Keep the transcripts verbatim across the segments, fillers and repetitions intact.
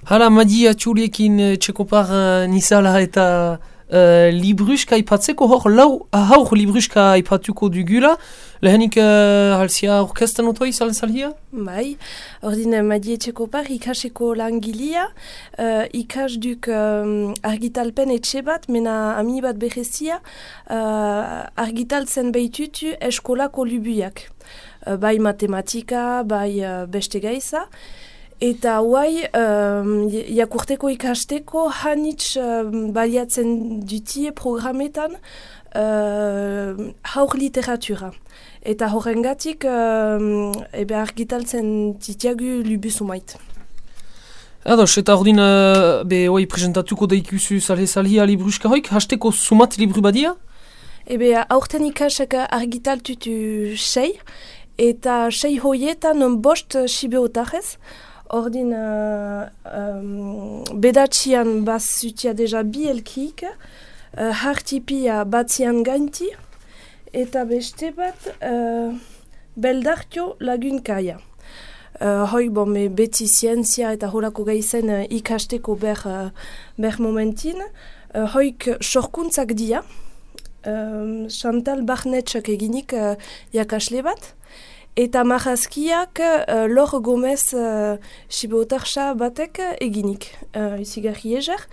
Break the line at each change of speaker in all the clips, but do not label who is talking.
Hala, Madi atxuliekin uh, txekopar uh, nizala eta uh, libruska ipatzeko hor lau haur libruska ipatuko dugula. Lehenik uh, halzia orkestan otoi zalzalhia?
Bai, ordin Madi txekopar ikaseko langilia, uh, ikas duk um, argitalpen etxe bat, mena ami bat berezia, uh, argitaltzen behitutu eskolako lubuiak. Uh, bai matematika, bai uh, beste gaiza. Eta huai, um, jakurteko ikasteko hanitz um, baliatzen dutie programetan uh, haur literatura. Eta horrengatik um, ebe argitaltzen titiagu lubusumait.
Ados, eta ordin uh, be hoi presentatuko daikuzu zalhe-zalhia libruska hoik, hasteko sumat libru badia?
Ebe aurten ikasek argitaltutu sei, eta sei hoietan bost sibeotarez. Ordin, uh, um, bedatxian bazutia deja bi elkik, uh, hartipia batzian gainti, eta beste bat uh, beldartio lagunkaia. Uh, hoi bon, me beti zientzia eta horako gaizen uh, ikasteko ber, uh, ber momentin. Uh, hoik sorkuntzak dia, uh, Chantal Barnetxak eginik uh, jakasle bat. Eta marrazkiak uh, Lor Gomez uh, sibotarxa batek eginik, uh, izigarri ezer.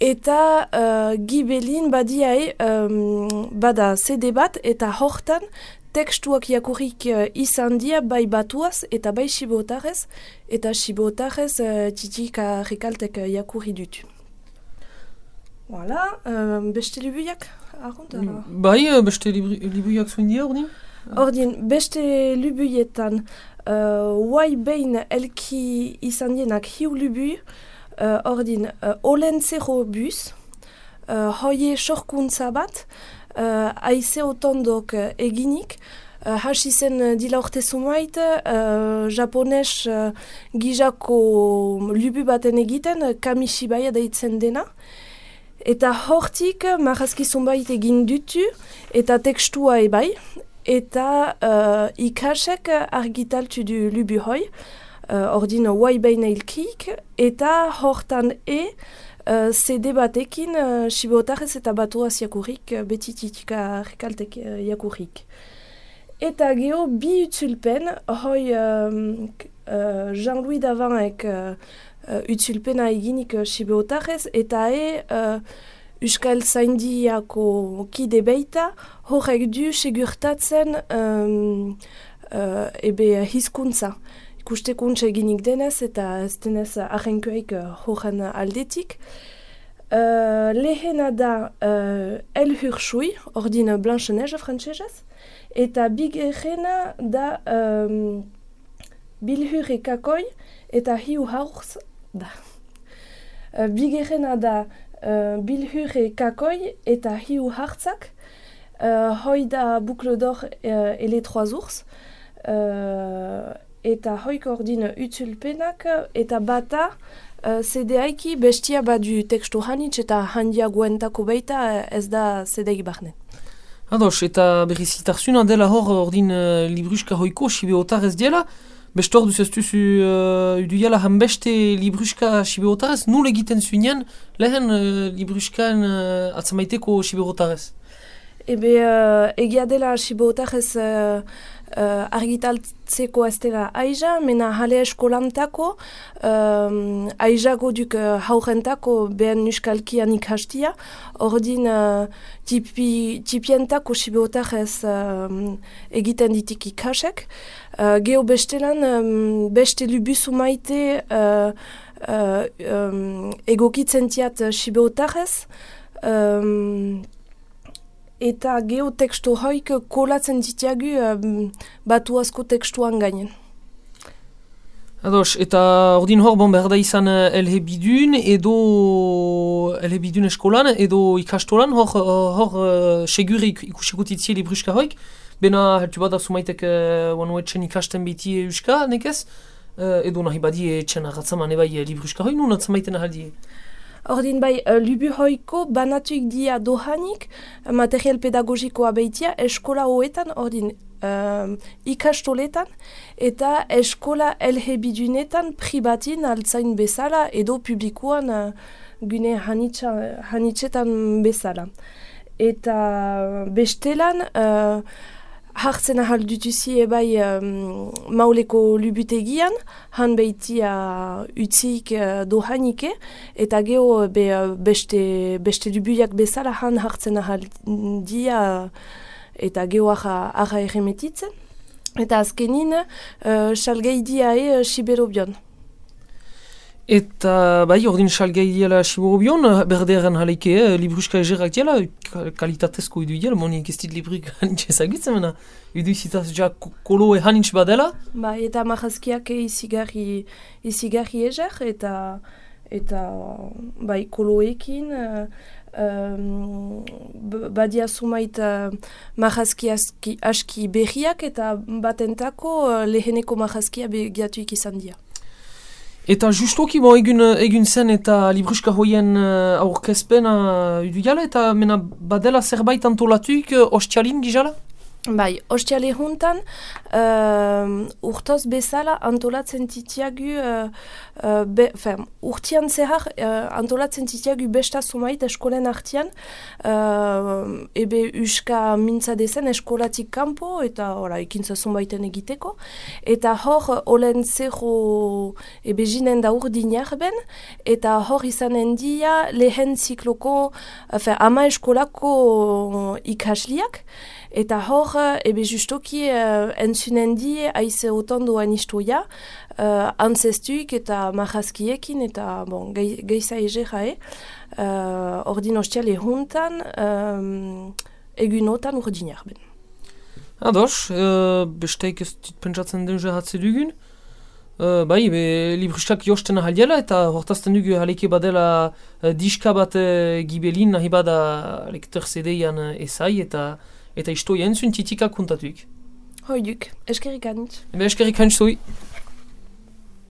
Eta uh, Gibelin badiae um, bada C D bat eta hortan tekstuak jakurrik uh, izan dia bai batuaz eta bai sibotarez. Eta sibotarez uh, titika rekaltek uh, jakurri dut. Voilà, uh, beste libuiak? Arruntara.
Bai, beste libuiak zuen dia, ordin?
Ordin, beste lubuietan, huai uh, behin elki izan dienak hiu lubui, uh, ordin, uh, olentzero bus, uh, hoie sorkuntza bat, uh, aize otondok uh, eginik, uh, hasi zen uh, dila urte sumait, uh, japones uh, gizako lubu baten egiten, uh, kamishibaia deitzen dena. Eta hortik, marrazki zumbait egin dutu, eta tekstua ebai, eta uh, ikasek argitaltu du lubu hoi, uh, ordin huai behin eilkik, eta hortan e uh, C D batekin uh, sibotarez eta batuaz jakurrik, uh, beti titika rekaltek uh, jakurrik. Eta geho bi utzulpen, hoi um, uh, Jean-Louis Davanek uh, uh, utzulpena eginik uh, sibotarez, eta e uh, Euskal Zaindiako kide beita, horrek du segurtatzen um, uh, ebe hizkuntza. Ikustekuntza eginik denez eta ez denez ahenkoek uh, horren aldetik. Uh, lehena da uh, El Hurshui, ordin Blanche-Neige frantsesez, eta bigerena da um, Bilhure Kakoi eta Hiu Haurz da. Uh, bigerena da Uh, Bilhure Kakoi eta Hiu Hartzak, uh, hoi da Boucle d'Or uh, et les Trois Ours, uh, eta hoik ordin utzulpenak, eta bata uh, C D aiki bestia badu tekstu hanitz eta handia guentako baita uh, ez da C D barnen.
Ados, eta berrizitarzuna dela hor ordin uh, libruska hoiko sibeotarez diela, Bestor duz ez duzu uh, uduiala hanbeste libruska siberotarez, nul egiten zuenean lehen uh, libruskan uh, atzamaiteko siberotarez?
Ebe uh, egia dela siberotarez uh, uh, argitaltzeko ez dela aiza, mena jale eskolantako, um, aizago duk uh, haurentako behen nuskalkian ikastia, ordin uh, tipi, tipientako siberotarez uh, egiten ditik ikasek. Uh, Geho bestelan, um, beste lubuzu maite uh, uh, um, egokitzen tiat uh, sibeotarez, um, eta geho tekstu hoik kolatzen ditiagu um, batu asko tekstuan gainen.
Ados, eta ordin hor bon behar da izan uh, elhebidun edo elhebidun eskolan edo ikastolan hor, hor uh, segur ikusiko titzie libruska hoik. Bena, hertu bat azumaitek uh, wanu etxen ikasten biti euska, nekez? Uh, edo nahi badi etxen agatzaman ebai libruska hoi, nun atzamaiten ahaldie?
Ordin bai, uh, lubu hoiko banatuik dia dohanik, material pedagogikoa baitia, eskola hoetan, ordin um, ikastoletan eta eskola elhebidunetan pribatin altzain bezala edo publikoan uh, gune hanitsa, hanitsetan bezala. Eta bestelan uh, hartzen ahal dutuzi ebai um, mauleko lubutegian, han behitia utzik uh, dohanike, eta geho be, uh, beste, beste lubuiak bezala han hartzen ahal dia eta geho aha, aha erremetitzen. Eta azkenin, uh, salgei diae uh, siberobion.
Eta, bai, ordin salgai diela Siberobion, berdearen haleike, eh, libruska egerak diela, kalitatezko idu diela, monik ez dit libruk hanitz ezagutzen, mena, idu zitaz ja koloe hanitz badela.
Bai, eta marrazkiak izigarri, izigarri eger, eta, eta bai, koloekin, uh, um, badia sumait uh, marrazki aski, aski berriak, eta batentako uh, leheneko marrazkia begiatuik izan dira.
Eta justoki bo egun, egun zen eta libruska hoien uh, aurkezpena uh, idu eta mena badela zerbait antolatuik uh, ostialin gizala?
Bai, ostiale juntan uh, urtoz bezala antolatzen titiagu, uh, uh, be, fem, urtian zehar uh, antolatzen titiagu besta sumait eskolen artian, uh, ebe uska mintza dezen eskolatik kanpo eta ora, ekintza sumaiten egiteko, eta hor olen zero ebe jinen da urdinak ben, eta hor izanen dia lehen zikloko, uh, ama eskolako ikasliak, eta hor, ebe justoki uh, entzunen die aize otandoan istoia, uh, antzestuik eta marrazkiekin eta bon, geiza ege jae, uh, ordin ostiale juntan, um, egunotan urdinak ben.
Ados, uh, besteik ez dit pentsatzen den jehatze dugun. Uh, bai, be, librustak josten ahaliela eta hortazten dugu haleke badela uh, diska bat uh, gibelin nahi bada lektor zedeian uh, ezai eta eta isto jentzun titikak kontatuik.
Hoiduk, eskerrik anitz.
Ebe eskerrik anitz zoi.